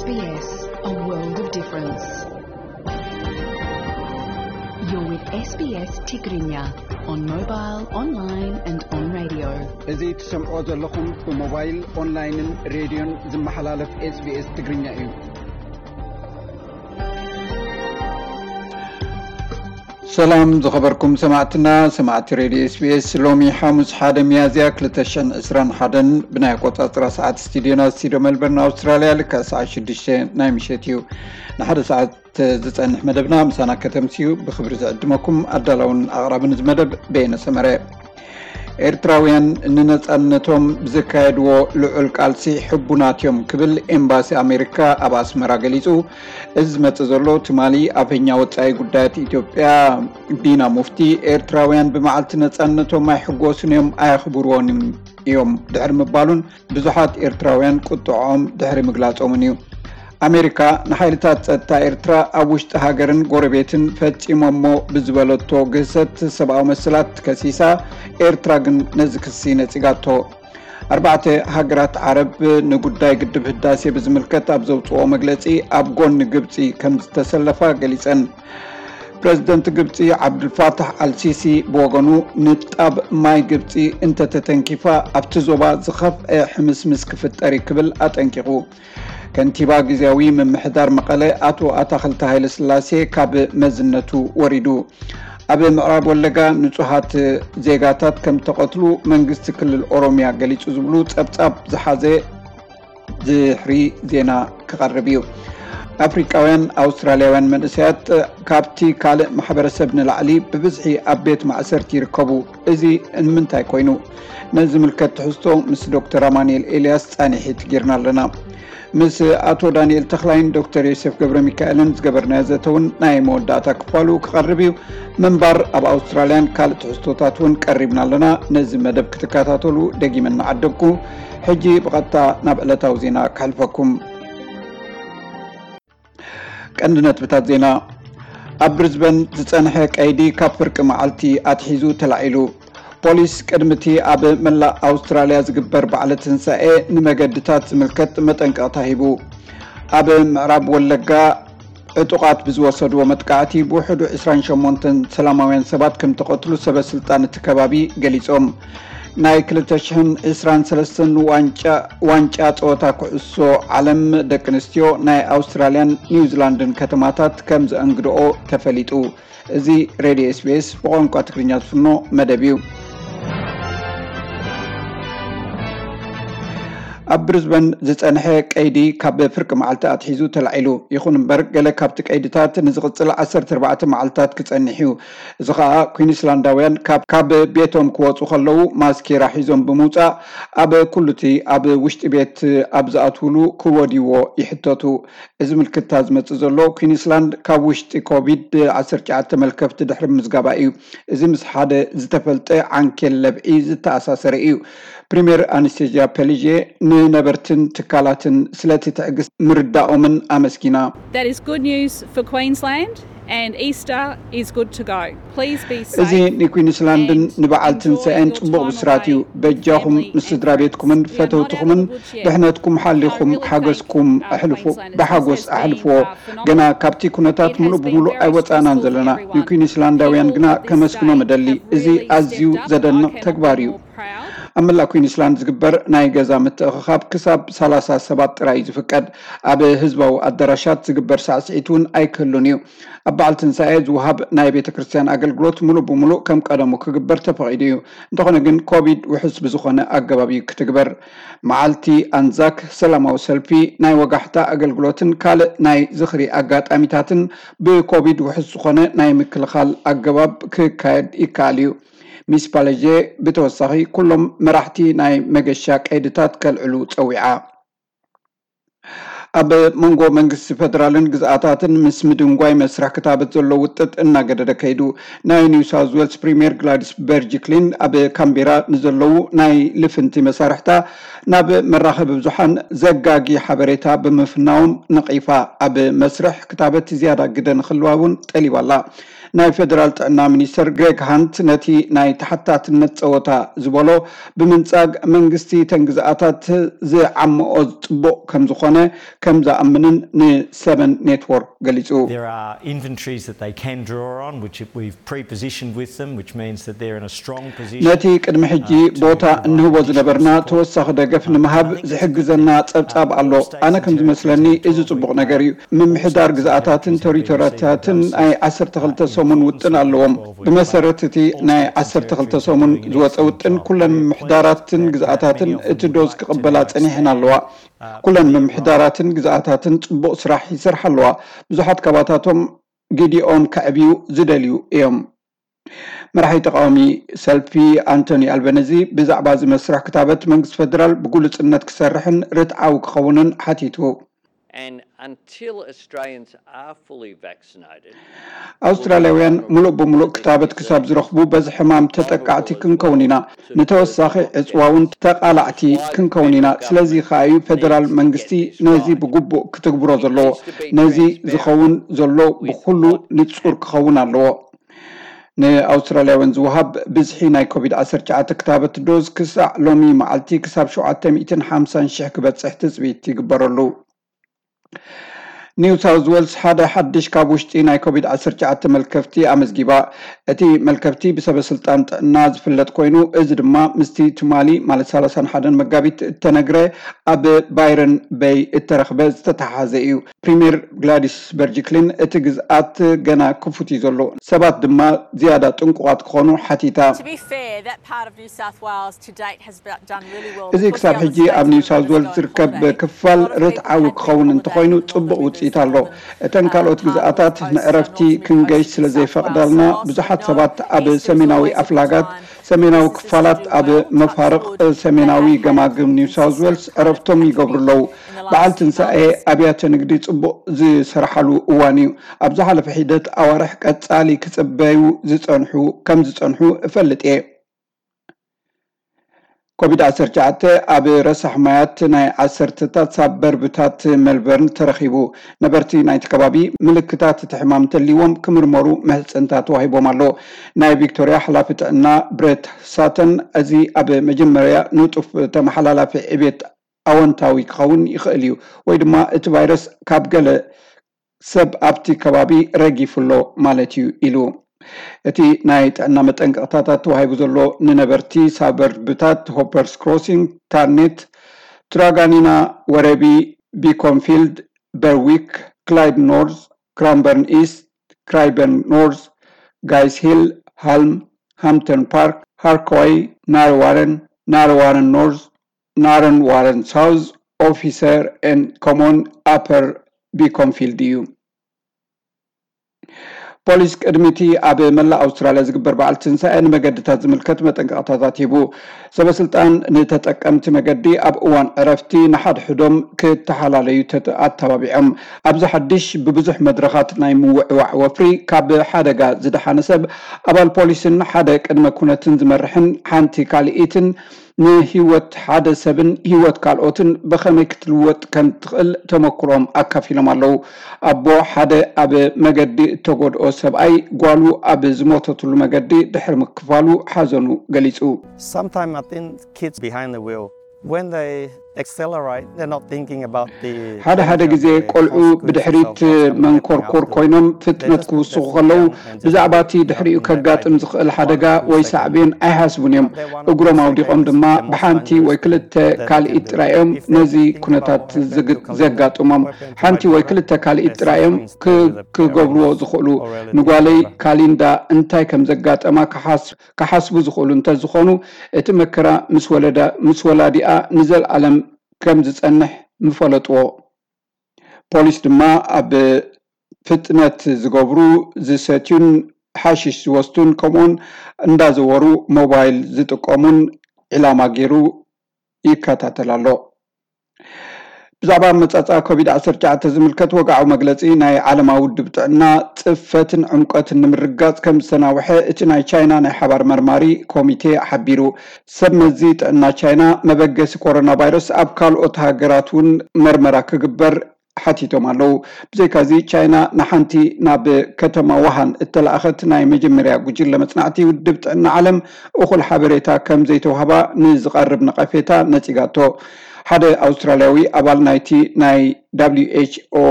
S B S, a world of difference. You're with S B S Tigrinya on mobile, online and on radio. እዚ ትሰምዖ ዘለኹም ብሞባይል፣ ኦንላይንን ሬድዮን ዝመሓላለፍ S B S ትግርኛ እዩ። ሰላም ዝኸበርኩም ሰማዕትና፣ ሰማዕቲ ሬድዮ S B S፣ ሎሚ ሓሙስ ሓደ ሚያዝያ ክልተ ሽሕን ዕስራን ሓደን ብናይ ኣቆጻጽራ ሰዓት ስቱዲዮና ስቱዲዮ ሜልበርን ኣውስትራልያ ልክዕ ሰዓት ሽዱሽተ ናይ ምሸት እዩ። ንሓደ ሰዓት ዝጸንሕ መደብና ምሳና ከተምስዩ ብኽብሪ ዝዕድመኩም ኣዳላውን ኣቕራብን እዚ መደብ በየነ ሰመረ። ኤርትራውያን ንነጻነቶም ብዘካየድዎ ልዑል ቃልሲ ሕቡናት እዮም ክብል ኤምባሲ ኣሜሪካ ኣብ ኣስመራ ገሊጹ። እዚ ዝመጽእ ዘሎ ትማሊ ኣፈኛ ወጻኢ ጉዳያት ኢትዮጵያ ዲና ሙፍቲ፣ ኤርትራውያን ብመዓልቲ ነጻነቶም ኣይሕጎሱን እዮም፣ ኣየኽብርዎን እዮም ድሕሪ ምባሉን ብዙሓት ኤርትራውያን ቁጥዖም ድሕሪ ምግላጾምን እዩ። ኣሜሪካ ንሓይልታት ጸጥታ ኤርትራ ኣብ ውሽጢ ሃገርን ጎረቤትን ፈጺሞሞ ብዝበለቶ ግህሰት ሰብኣዊ መሰላት ከሲሳ፣ ኤርትራ ግን ነዚ ክሲ ነጺጋቶ። ኣርባዕተ ሃገራት ዓረብ ንጉዳይ ግድብ ህዳሴ ብዝምልከት ኣብ ዘውጽኦ መግለጺ ኣብ ጎኒ ግብጺ ከም ዝተሰለፋ ገሊጸን። ፕረዚደንት ግብጺ ዓብዱልፋታሕ ኣልሲሲ ብወገኑ ንጣብ ማይ ግብጺ እንተተተንኪፋ ኣብቲ ዞባ ዝኸፍአ ሕምስምስ ክፍጠር እዩ ክብል ኣጠንቂቑ። ከንቲባ ግዝያዊ ምምሕዳር መቐለ ኣቶ ኣታኽልቲ ሃይለስላሴ ካብ መዝነቱ ወሪዱ። ኣብ ምዕራብ ወለጋ ንጹሃት ዜጋታት ከም ተቐትሉ መንግስቲ ክልል ኦሮሚያ ገሊጹ ዝብሉ ጸብጻብ ዝሓዘ ድሕሪ ዜና ክቐርብ እዩ። ኣፍሪቃውያን ኣውስትራልያውያን መንእሰያት ካብቲ ካልእ ማሕበረሰብ ንላዕሊ ብብዝሒ ኣብ ቤት ማእሰርቲ ይርከቡ። እዚ ንምንታይ ኮይኑ? ነዚ ዝምልከት ትሕዝቶ ምስ ዶክተር ኣማኑኤል ኤልያስ ጻኒሒት ጌርና ኣለና። ምስ ኣቶ ዳንኤል ተኽላይን ዶክተር ዮሴፍ ገብረ ሚካኤልን ዝገበርናዮ ዘተ እውን ናይ መወዳእታ ክፋሉ ክቐርብ እዩ። ምንባር ኣብ ኣውስትራልያን ካልእ ትሕዝቶታት እውን ቀሪብና ኣለና። ነዚ መደብ ክትከታተሉ ደጊመ እናዓደግኩ፣ ሕጂ ብቐጥታ ናብ ዕለታዊ ዜና ከሕልፈኩም። ቀንዲ ነጥብታት ዜና። ኣብ ብሪዝበን ዝጸንሐ ቀይዲ ካብ ፍርቂ መዓልቲ ኣትሒዙ ተላዒሉ። ፖሊስ ቅድሚ እቲ ኣብ መላእ ኣውስትራልያ ዝግበር በዓለ ትንሳኤ ንመገድታት ዝምልከት መጠንቀቕታ ሂቡ። ኣብ ምዕራብ ወለጋ ዕጡቓት ብዝወሰድዎ መጥቃዕቲ ብውሕዱ ዕስራን ሸሞንተን ሰላማውያን ሰባት ከም ተቐትሉ ሰበ ስልጣን እቲ ከባቢ ገሊጾም። ናይ ክልተ ሽሕን ዕስራን ሰለስተን ዋንጫ ዋንጫ ጸወታ ኩዕሶ ዓለም ደቂ ኣንስትዮ ናይ ኣውስትራልያን ኒውዚላንድን ከተማታት ከም ዘእንግድኦ ተፈሊጡ። እዚ ሬድዮ S B S ብቋንቋ ትግርኛ ዝፍኖ መደብ እዩ። ኣብ ብሪዝበን ዝጸንሐ ቀይዲ ካብ ፍርቂ መዓልቲ ኣትሒዙ ተላዒሉ። ይኹን እምበር፣ ገለ ካብቲ ቀይድታት ንዝቕጽል ዓሰርተ ኣርባዕተ መዓልታት ክጸንሕ እዩ። እዚ ኸኣ፣ ኩዊንስላንዳውያን ካብ፣ ካብ ቤቶም ክወጹ ከለዉ ማስኬራ ሒዞም ብምውጻእ፣ ኣብ ኩሉ እቲ ኣብ ውሽጢ ቤት ኣብ ዝኣትውሉ ክወድይዎ ይሕተቱ። እዚ ምልክታ ዝመጽእ ዘሎ፣ ኩዊንስላንድ ካብ ውሽጢ ኮቪድ ዓሰርተ ትሽዓተ መልከፍቲ ድሕሪ ምዝጋባ እዩ። እዚ ምስ ሓደ ዝተፈልጠ ዓንኬል ለብዒ ዝተኣሳሰረ እዩ። ፕሪምየር ኣናስቴዝያ ፔሊዜ ንነበርትን ትካላትን ስለቲ ትዕግስቲ ምርዳኦምን ኣመስጊና። That is good news for Queensland, and Easter is good to go. Please be safe. እዚ ንኩዊንስላንድን ንበዓል ትንሳኤን ጽቡቕ ብስራት እዩ። በጃኹም ምስ ስድራ ቤትኩምን ፈተውትኹምን ድሕነትኩም ሓሊኹም ሓገዝኩም ኣሕልፉ፣ ብሓጎስ ኣሕልፍዎ። ገና ካብቲ ኩነታት ምሉእ ብምሉእ ኣይወጻእናን ዘለና። ንኩዊንስላንዳውያን ግና ከመስግኖም እደሊ። እዚ ኣዝዩ ዘደንቕ ተግባር እዩ። ኣብ መላእ ኩዊንስላንድ ዝግበር ናይ ገዛ ምትእኽኻብ ክሳብ ሰላሳ ሰባት ጥራይ እዩ ዝፍቀድ። ኣብ ህዝባዊ ኣዳራሻት ዝግበር ሳዕስዒት እውን ኣይክህሉን እዩ። ኣብ በዓል ትንሳኤ ዝወሃብ ናይ ቤተ ክርስቲያን ኣገልግሎት ምሉእ ብምሉእ ከም ቀደሙ ክግበር ተፈቒዱ እዩ። እንተኾነ ግን፣ ኮቪድ ውሑስ ብዝኾነ ኣገባብ እዩ ክትግበር። መዓልቲ ኣንዛክ፣ ሰላማዊ ሰልፊ፣ ናይ ወጋሕታ ኣገልግሎትን ካልእ ናይ ዝኽሪ ኣጋጣሚታትን ብኮቪድ ውሑስ ዝኾነ ናይ ምክልኻል ኣገባብ ክካየድ ይከኣል እዩ። ሚስ ፓለጄ ብተወሳኺ፣ ኩሎም መራሕቲ ናይ መገሻ ቀይድታት ከልዕሉ ጸዊዓ። ኣብ መንጎ መንግስቲ ፈደራልን ግዝኣታትን ምስ ምድንጓይ መስርሕ ክታበት ዘሎ ውጥጥ እናገደደ ከይዱ። ናይ ኒው ሳውዝ ዌልስ ፕሪምየር ግላዲስ በርጅክሊን ኣብ ካምቤራ ንዘለዉ ናይ ልፍንቲ መሳርሕታ ናብ መራኸቢ ብዙሓን ዘጋጊ ሓበሬታ ብምፍናዎም ነቒፋ። ኣብ መስርሕ ክታበት ዝያዳ ግደ ንኽህልዋ እውን ጠሊባ ኣላ። ናይ ፌደራል ጥዕና ሚኒስተር ግሬግ ሃንት ነቲ ናይ ተሓታትነት ጸወታ ዝበሎ ብምንጻግ፣ መንግስቲ ተን ግዝኣታት ዝዓመኦ ጽቡቕ ከም ዝኾነ ከም ዝኣምንን ንሰቨን ኔትወርክ ገሊጹ። There are inventories that they can draw on, which we've pre-positioned with them, which means that they're in a strong position. ነቲ ቅድሚ ሕጂ ቦታ እንህቦ ዝነበርና ተወሳኺ ደገፍ ንምሃብ ዝሕግዘና ጸብጻብ ኣሎ። ኣነ ከም ዝመስለኒ እዚ ጽቡቕ ነገር እዩ። ምምሕዳር ግዝኣታትን ቴሪቶሪያታትን ናይ ዓሰርተ ክልተ ሰሙን ውጥን ኣለዎም። ብመሰረት እቲ ናይ ዓሰርተ ክልተ ሰሙን ዝወጸ ውጥን፣ ኩለን ምምሕዳራትን ግዝኣታትን እቲ ዶዝ ክቕበላ ጸኒሐን ኣለዋ። ኩለን ምምሕዳራትን ግዝኣታትን ጽቡቕ ስራሕ ይሰርሓ ኣለዋ። ብዙሓት ካባታቶም ግዲኦም ከዕብዩ ዝደልዩ እዮም። መራሒ ተቃዋሚ ሰልፊ ኣንቶኒ ኣልበነዚ ብዛዕባ እዚ መስርሕ ክታበት መንግስቲ ፌደራል ብግሉጽነት ክሰርሕን ርትዓዊ ክኸውንን ሓቲቱ። And until Australians are fully vaccinated, ኣውስትራልያውያን ሙሉእ ብምሉእ ክታበት ክሳብ ዝረኽቡ በዚ ሕማም ተጠቃዕቲ ክንከውን ኢና። ንተወሳኺ ዕፅዋ እውን ተቓላዕቲ ክንከውን ኢና። ስለዚ ከኣ እዩ ፌደራል መንግስቲ ነዚ ብግቡእ ክትግብሮ ዘለዎ። ነዚ ዝኸውን ዘሎ ብኹሉ ንጹር ክኸውን ኣለዎ። ንኣውስትራልያውያን ዝወሃብ ብዝሒ ናይ ኮቪድ ዓሰርተ ትሽዓተ ክታበት ዶዝ ክሳዕ ሎሚ መዓልቲ ክሳብ ሸውዓተ ሚእትን ሓምሳን ሽሕ ክበጽሕ ትጽቢት ይግበረሉ። ኒው ሳውዝ ዌልስ ሓደ ሓድሽ ካብ ውሽጢ ናይ ኮቪድ ዓሰርተ ትሽዓተ መልከፍቲ ኣመዝጊባ። እቲ መልከፍቲ ብሰበ ስልጣን ጥዕና ዝፍለጥ ኮይኑ፣ እዚ ድማ ምስቲ ትማሊ ማለት ሰላሳን ሓደን መጋቢት እተነግረ ኣብ ባይረን በይ እተረኽበ ዝተተሓሓዘ እዩ። ፕሪምየር ግላዲስ በርጅክሊን እቲ ግዝኣት ገና ክፉት እዩ ዘሎ፣ ሰባት ድማ ዝያዳ ጥንቁቓት ክኾኑ ሓቲታ። To be fair, that part of New South Wales to date has done really well. እዚ ክሳብ ሕጂ ኣብ ኒው ሳውዝ ዌልስ ዝርከብ ክፋል ርትዓዊ ክኸውን እንተኾይኑ ጽቡቕ ውጽኢት ኣሎ። እተን ካልኦት ግዝኣታት ንዕረፍቲ ክንገይሽ ስለ ዘይፈቕዳልና፣ ብዙሓት ሰባት ኣብ ሰሜናዊ ኣፍላጋት፣ ሰሜናዊ ክፋላት፣ ኣብ መፋርቕ ሰሜናዊ ገማግም ኒው ሳውዝ ዌልስ ዕረፍቶም ይገብሩ ኣለዉ። በዓል ትንሳኤ ኣብያተ ንግዲ ጽቡቕ ዝሰርሓሉ እዋን እዩ። ኣብ ዝሓለፈ ሒደት ኣዋርሕ ቀጻሊ ክጽበዩ ዝጸንሑ ከም ዝጸንሑ እፈልጥ እየ። ኮቪድ ዓሰርተ ትሽዓተ ኣብ ረሳሕ ማያት ናይ ዓሰርተታት ሳበርብታት ሜልበርን ተረኺቡ። ነበርቲ ናይቲ ከባቢ ምልክታት እቲ ሕማም እንተልይዎም ክምርመሩ ምሕጽንታ ተዋሂቦም ኣሎ። ናይ ቪክቶርያ ሓላፊ ጥዕና ብሬት ሳተን፣ እዚ ኣብ መጀመርያ ንጡፍ ተመሓላላፊ ዕቤት ኣወንታዊ ክኸውን ይኽእል እዩ፣ ወይ ድማ እቲ ቫይረስ ካብ ገለ ሰብ ኣብቲ ከባቢ ረጊፉ ኣሎ ማለት እዩ ኢሉ። እቲ ናይ ጥዕና መጠንቀቕታታት ተዋሂቡ ዘሎ ንነበርቲ ሳበርብታት ሆፐርስ ክሮሲንግ፣ ታርኔት፣ ትራጋኒና፣ ወረቢ፣ ቢኮንፊልድ፣ በርዊክ፣ ክላይድ ኖርዝ፣ ክራንበርን ኢስት፣ ክራይበርን ኖርዝ፣ ጋይስ ሂል፣ ሃልም፣ ሃምተን ፓርክ፣ ሃርኮይ፣ ናረዋረን፣ ናረዋረን ኖርዝ፣ ናረን ዋረን ሳውዝ፣ ኦፊሰር ኤን ኮሞን ኣፐር ቢኮንፊልድ እዩ። ፖሊስ ቅድሚ እቲ ኣብ መላእ ኣውስትራልያ ዝግበር በዓል ትንሳኤ ንመገድታት ዝምልከት መጠንቀቕታታት ሂቡ። ሰበ ስልጣን ንተጠቀምቲ መገዲ ኣብ እዋን ዕረፍቲ ንሓድሕዶም ክተሓላለዩ ተተ- ኣተባቢዖም። ኣብዚ ሓድሽ ብብዙሕ መድረኻት ናይ ምውዕዋዕ ወፍሪ ካብ ሓደጋ ዝደሓነ ሰብ፣ ኣባል ፖሊስን ሓደ ቅድመ ኩነትን ዝመርሕን ሓንቲ ካልኢትን ንህይወት ሓደ ሰብን ህይወት ካልኦትን ብኸመይ ክትልወጥ ከም ትኽእል ተመክሮም ኣካፊሎም ኣለዉ። ኣቦ ሓደ ኣብ መገዲ እተጎድኦ ሰብኣይ ጓሉ ኣብ ዝሞተትሉ መገዲ ድሕሪ ምክፋሉ ሓዘኑ ገሊጹ። Sometimes I think kids behind the wheel, when they accelerate, they're not thinking about the ሓደ ሓደ ግዜ ቆልዑ ብድሕሪት መንኮርኮር ኮይኖም ፍጥነት ክውስኹ ከለዉ ብዛዕባ እቲ ድሕሪኡ ከጋጥም ዝኽእል ሓደጋ ወይ ሳዕቤን ኣይሓስቡን እዮም። እግሮም ኣውዲቖም ድማ ብሓንቲ ወይ ክልተ ካልኢት ጥራይ እዮም ነዚ ኩነታት ዝግ- ዘጋጥሞም። ሓንቲ ወይ ክልተ ካልኢት ጥራይ እዮም ክ- ክገብርዎ ዝኽእሉ። ንጓለይ ካሊንዳ እንታይ ከም ዘጋጠማ ክሓስ- ክሓስቡ ዝኽእሉ እንተዝኾኑ፣ እቲ መከራ ምስ ወለዳ- ምስ ወላዲኣ ንዘለኣለም ከም ዝጸንሕ ምፈለጥዎ። ፖሊስ ድማ ኣብ ፍጥነት ዝገብሩ፣ ዝሰትዩን ሓሽሽ ዝወስዱን ከምኡውን እንዳዘወሩ ሞባይል ዝጥቀሙን ዒላማ ገይሩ ይከታተል ኣሎ። ብዛዕባ ኣመጻጽኣ ኮቪድ ዓሰርተ ትሽዓተ ዝምልከት ወግዓዊ መግለጺ ናይ ዓለማዊ ውድብ ጥዕና ጽፈትን ዕምቆትን ንምርግጋጽ ከም ዝተናውሐ እቲ ናይ ቻይና ናይ ሓባር መርማሪ ኮሚቴ ሓቢሩ። ሰብ መዚ ጥዕና ቻይና መበገሲ ኮሮና ቫይረስ ኣብ ካልኦት ሃገራት እውን መርመራ ክግበር ሓቲቶም ኣለዉ። ብዘይካዚ ቻይና ንሓንቲ ናብ ከተማ ውሃን እተላእኸት ናይ መጀመርያ ጉጅለ መጽናዕቲ ውድብ ጥዕና ዓለም እኹል ሓበሬታ ከም ዘይተዋህባ ንዝቐርብ ነቐፌታ ነጺጋቶ። ሓደ ኣውስትራልያዊ ኣባል ናይቲ ናይ ደብሊው ኤች ኦ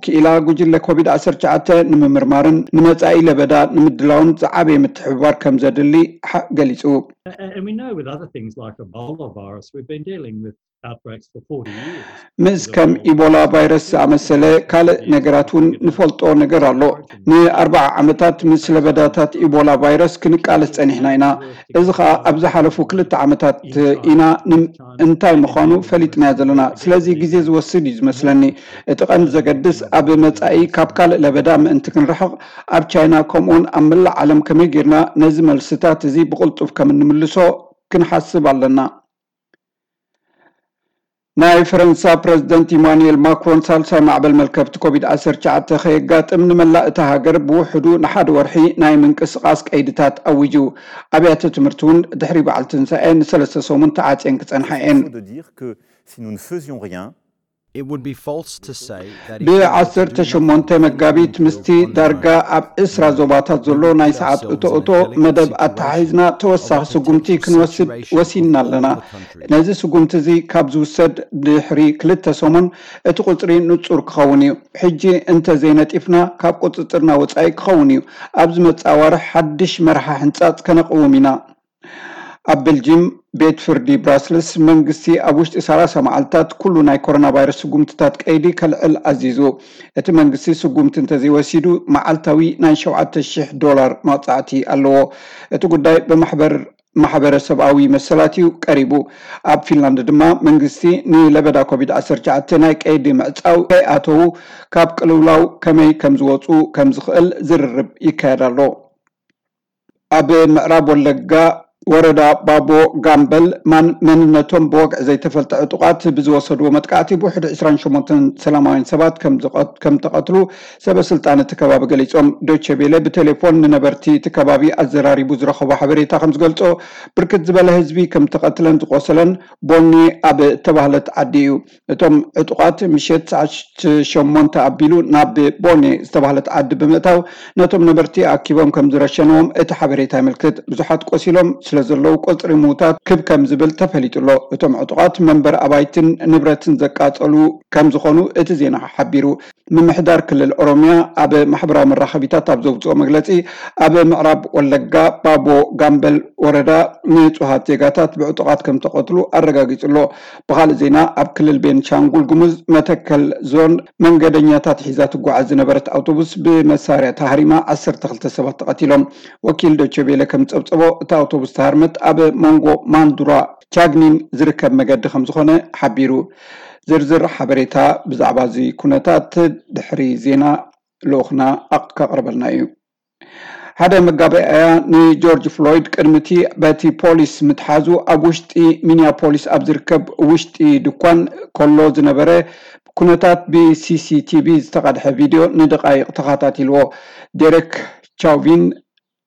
ክኢላ ጉጅለ ኮቪድ ዓሰርተ ትሽዓተ ንምምርማርን ንመጻኢ ለበዳ ንምድላውን ዝዓበየ ምትሕብባር ከም ዘድሊ ገሊጹ። And we know with other things like Ebola virus, we've been dealing with outbreaks for forty years. ምስ ከም ኢቦላ ቫይረስ ዝኣመሰለ ካልእ ነገራት እውን ንፈልጦ ነገር ኣሎ። ንኣርባዓ ዓመታት ምስ ለበዳታት ኢቦላ ቫይረስ ክንቃለስ ጸኒሕና ኢና። እዚ ኸኣ ኣብ ዝሓለፉ ክልተ ዓመታት ኢና እንታይ ምዃኑ ፈሊጥናዮ ዘለና። ስለዚ ግዜ ዝወስድ እዩ ዝመስለኒ። እቲ ቀንዲ ዘገድስ ኣብ መጻኢ ካብ ካልእ ለበዳ ምእንቲ ክንርሕቕ ኣብ ቻይና ከምኡውን ኣብ መላእ ዓለም ከመይ ጌርና ነዚ መልስታት እዚ ብቕልጡፍ ከም እንምልሶ ክንሓስብ ኣለና። ናይ ፈረንሳ ፕረዚደንት ኢማኑኤል ማክሮን ሳልሳይ ማዕበል መልከፍቲ ኮቪድ ዓሰርተ ትሽዓተ ከየጋጥም ንመላእ እታ ሃገር ብውሕዱ ንሓደ ወርሒ ናይ ምንቅስቓስ ቀይድታት ኣዊጁ። ኣብያተ ትምህርቲ እውን ድሕሪ በዓል ትንሳኤ ንሰለስተ ሰሙን ተዓፅየን ክፀንሓ እየን። Si nous ne faisions rien, It would be false to say that ብዓሰርተ ሸሞንተ መጋቢት ምስቲ ዳርጋ ኣብ ዕስራ ዞባታት ዘሎ ናይ ሰዓት እቶ እቶ መደብ ኣተሓሒዝና ተወሳኺ ስጉምቲ ክንወስድ ወሲንና ኣለና። ነዚ ስጉምቲ እዚ ካብ ዝውሰድ ድሕሪ ክልተ ሰሙን እቲ ቁፅሪ ንፁር ክኸውን እዩ። ሕጂ እንተዘይነጢፍና ካብ ቁፅፅርና ወፃኢ ክኸውን እዩ። ኣብ ዝመፅእ ኣዋርሕ ሓድሽ መርሓ ሕንፃፅ ከነቕውም ኢና። ኣብ ቤልጂም ቤት ፍርዲ ብራስልስ መንግስቲ ኣብ ውሽጢ ሰላሳ መዓልታት ኩሉ ናይ ኮሮና ቫይረስ ስጉምትታት ቀይዲ ከልዕል ኣዚዙ። እቲ መንግስቲ ስጉምቲ እንተዘይወሲዱ መዓልታዊ ናይ ሸውዓተ ሽሕ ዶላር መቕፃዕቲ ኣለዎ። እቲ ጉዳይ ብማሕበር ማሕበረሰብኣዊ መሰላት እዩ ቀሪቡ። ኣብ ፊንላንድ ድማ መንግስቲ ንለበዳ ኮቪድ ዓሰርተ ትሽዓተ ናይ ቀይዲ ምዕፃው ከይኣተዉ ካብ ቅልውላው ከመይ ከም ዝወፁ ከም ዝኽእል ዝርርብ ይካየድ ኣሎ። ኣብ ምዕራብ ወለጋ ወረዳ ባቦ ጋምበል ማን መንነቶም ብወግዒ ዘይተፈልጠ ዕጡቓት ብዝወሰድዎ መጥቃዕቲ ብውሕዱ ዕስራን ሸሞንተን ሰላማውያን ሰባት ከም ዝቐት- ከም ተቐትሉ ሰበ ስልጣን እቲ ከባቢ ገሊጾም። ዶቼ ቤለ ብቴሌፎን ንነበርቲ እቲ ከባቢ ኣዘራሪቡ ዝረኸቦ ሓበሬታ ከም ዝገልጾ ብርክት ዝበለ ህዝቢ ከም ተቐትለን ዝቆሰለን ቦኒ ኣብ እተባህለት ዓዲ እዩ። እቶም ዕጡቓት ምሸት ሰዓት ሸሞንተ ኣቢሉ ናብ ቦኔ ዝተባህለት ዓዲ ብምእታው ነቶም ነበርቲ ኣኪቦም ከም ዝረሸንዎም እቲ ሓበሬታ የመልክት። ብዙሓት ቆሲሎም ስለ ዘለዉ ቁጽሪ ምዉታት ክብ ከም ዝብል ተፈሊጡ ኣሎ። እቶም ዕጡቓት መንበር ኣባይትን ንብረትን ዘቃጸሉ ከም ዝኾኑ እቲ ዜና ሓቢሩ። ምምሕዳር ክልል ኦሮሚያ ኣብ ማሕበራዊ መራኸቢታት ኣብ ዘውፅኦ መግለፂ ኣብ ምዕራብ ወለጋ ባቦ ጋምበል ወረዳ ንፁሃት ዜጋታት ብዕጡቓት ከም ተቐትሉ ኣረጋጊፁ ኣሎ። ብኻልእ ዜና ኣብ ክልል ቤንሻንጉል ጉሙዝ መተከል ዞን መንገደኛታት ሒዛ ትጓዓዝ ዝነበረት ኣውቶቡስ ብመሳርያ ተሃሪማ ዓሰርተ ክልተ ሰባት ተቐቲሎም። ወኪል ዶቼ ቬለ ከም ዝፀብፀቦ እታ ኣውቶቡስ ተሃርመት ኣብ መንጎ ማንዱራ ቻግኒን ዝርከብ መገዲ ከም ዝኾነ ሓቢሩ። ዝርዝር ሓበሬታ ብዛዕባ እዚ ኩነታት ድሕሪ ዜና ልኡኽና ኣቕ- ከቕርበልና እዩ። ሓደ መጋባእያ ንጆርጅ ፍሎይድ ቅድሚ እቲ በቲ ፖሊስ ምትሓዙ ኣብ ውሽጢ ሚኒያፖሊስ ኣብ ዝርከብ ውሽጢ ድኳን ከሎ ዝነበረ ኩነታት ብሲሲቲቪ ዝተቐድሐ ቪድዮ ንደቓይቕ ተኸታቲልዎ። ዴረክ ቻውቪን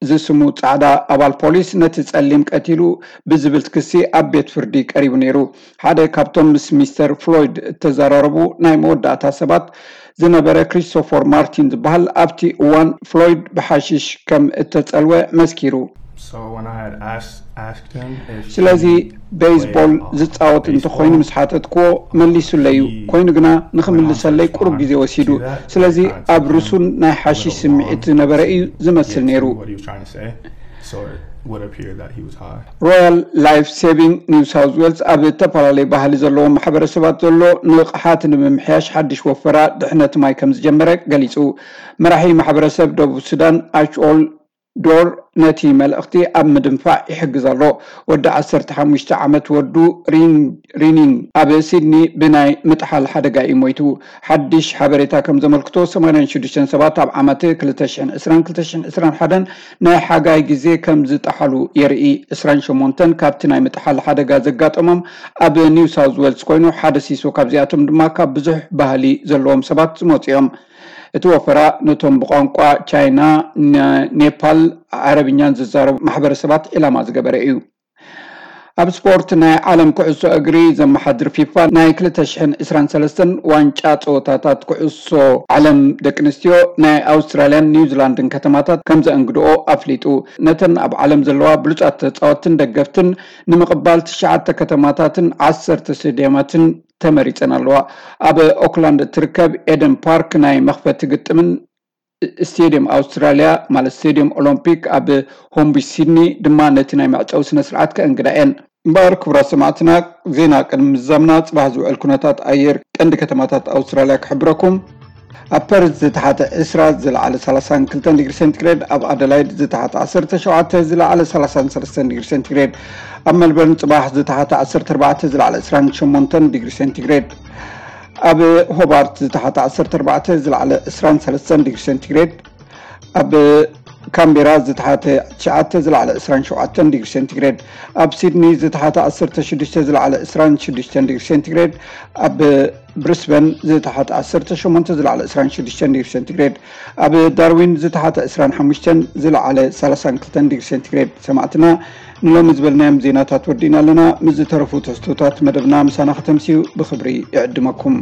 ዝስሙ ጻዕዳ ኣባል ፖሊስ ነቲ ጸሊም ቀቲሉ ብዝብል ክሲ ኣብ ቤት ፍርዲ ቀሪቡ ነይሩ። ሓደ ካብቶም ምስ ሚስተር ፍሎይድ እተዘራረቡ ናይ መወዳእታ ሰባት ዝነበረ ክሪስቶፈር ማርቲን ዝበሃል ኣብቲ እዋን ፍሎይድ ብሓሽሽ ከም እተጸልወ መስኪሩ። So when I had asked, asked him if ስለዚ he ቤዝቦል played, uh, ዝጻወት እንተኾይኑ baseball, ምስ ሓተትክዎ መሊሱለይ እዩ። ኮይኑ ግና ንኽምልሰለይ ቁሩብ ግዜ ወሲዱ። ስለዚ ኣብ ርሱን ናይ ሓሽሽ ስምዒት ዝነበረ እዩ ዝመስል ነይሩ። What he was trying to say. So it would appear that he was high. ሮያል ላይፍ ሴቪንግ ኒው ሳውዝ ዌልስ ኣብ ዝተፈላለዩ ባህሊ ዘለዎም ማሕበረሰባት ዘሎ ንቕሓት ንምምሕያሽ ሓድሽ ወፈራ ድሕነት ማይ ከም ዝጀመረ ገሊጹ። መራሒ ማሕበረሰብ ደቡብ ሱዳን ኣችኦል ዶር ነቲ መልእኽቲ ኣብ ምድንፋዕ ይሕግዝ ኣሎ። ወዲ ዓሰርተ ሓሙሽተ ዓመት ወዱ ሪን- ሪኒን ኣብ ሲድኒ ብናይ ምጥሓል ሓደጋ እዩ ሞይቱ። ሓድሽ ሓበሬታ ከም ዘመልክቶ ሰማንያን ሽዱሽተን ሰባት ኣብ ዓመት ክልተ ሽሕን ዕስራን ክልተ ሽሕን ዕስራን ሓደን ናይ ሓጋይ ግዜ ከም ዝጠሓሉ የርኢ። ዕስራን ሸሞንተን ካብቲ ናይ ምጥሓል ሓደጋ ዘጋጠሞም ኣብ ኒው ሳውዝ ዌልስ ኮይኑ ሓደ ሲሶ ካብዚኣቶም ድማ ካብ ብዙሕ ባህሊ ዘለዎም ሰባት ዝመፁ እዮም። እቲ ወፈራ ነቶም ብቋንቋ ቻይና፣ ነ- ኔፓል፣ ዓረብኛን ዝዛረቡ ማሕበረሰባት ዒላማ ዝገበረ እዩ። ኣብ ስፖርት፣ ናይ ዓለም ኩዕሶ እግሪ ዘመሓድር ፊፋ ናይ ክልተ ሽሕን ዕስራን ሰለስተን ዋንጫ ጸወታታት ኩዕሶ ዓለም ደቂ ኣንስትዮ ናይ ኣውስትራልያን ኒውዚላንድን ከተማታት ከም ዘእንግድኦ ኣፍሊጡ። ነተን ኣብ ዓለም ዘለዋ ብሉጻት ተጻወትትን ደገፍትን ንምቕባል ትሽዓተ ከተማታትን ዓሰርተ ስቴድየማትን ተመሪጸን ኣለዋ። ኣብ ኦክላንድ እትርከብ ኤደን ፓርክ ናይ መኽፈቲ ግጥምን ስቴድየም ኣውስትራልያ፣ ማለት ስቴድየም ኦሎምፒክ ኣብ ሆምቢ ሲድኒ ድማ ነቲ ናይ መዕጸዊ ስነ ስርዓት ከእንግዳ እየን። እምበኣር ክቡራት ሰማዕትና፣ ዜና ቅድሚ ምዝዛምና ጽባሕ ዝውዕል ኩነታት ኣየር ቀንዲ ከተማታት ኣውስትራልያ ክሕብረኩም። ኣብ ፐርዝ ዝተሓተ ዕስራ፣ ዝለዓለ ሰላሳን ክልተን ዲግሪ ሴንቲግሬድ፣ ኣብ ኣደላይድ ዝተሓተ ዓሰርተ ሸውዓተ፣ ዝለዓለ ሰላሳን ሰለስተን ዲግሪ ሴንቲግሬድ፣ ኣብ መልበርን ጽባሕ ዝተሓተ ዓሰርተ ኣርባዕተ፣ ዝለዓለ ዕስራን ሸሞንተን ዲግሪ ሴንቲግሬድ፣ ኣብ ሆባርት ዝተሓተ ዓሰርተ ኣርባዕተ፣ ዝለዓለ ዕስራን ሰለስተን ዲግሪ ሴንቲግሬድ፣ ኣብ ካምቤራ ዝተሓተ ትሽዓተ፣ ዝለዓለ ዕስራን ሸውዓተን ዲግሪ ሴንቲግሬድ፣ ኣብ ሲድኒ ዝተሓተ ዓሰርተ ሽዱሽተ፣ ዝለዓለ ዕስራን ሽዱሽተን ዲግሪ ሴንቲግሬድ፣ ኣብ ብሪስበን ዝተሓተ ዓሰርተ ሸሞንተ፣ ዝለዓለ ዕስራን ሽዱሽተን ዲግሪ ሴንቲግሬድ፣ ኣብ ዳርዊን ዝተሓተ ዕስራን ሓሙሽተን፣ ዝለዓለ ሰላሳን ክልተን ዲግሪ ሴንቲግሬድ። ሰማዕትና፣ ንሎሚ ዝበልናዮም ዜናታት ወዲእና ኣለና። ምስ ዝተረፉ ትሕዝቶታት መደብና ምሳና ከተምስዩ ብኽብሪ ይዕድመኩም።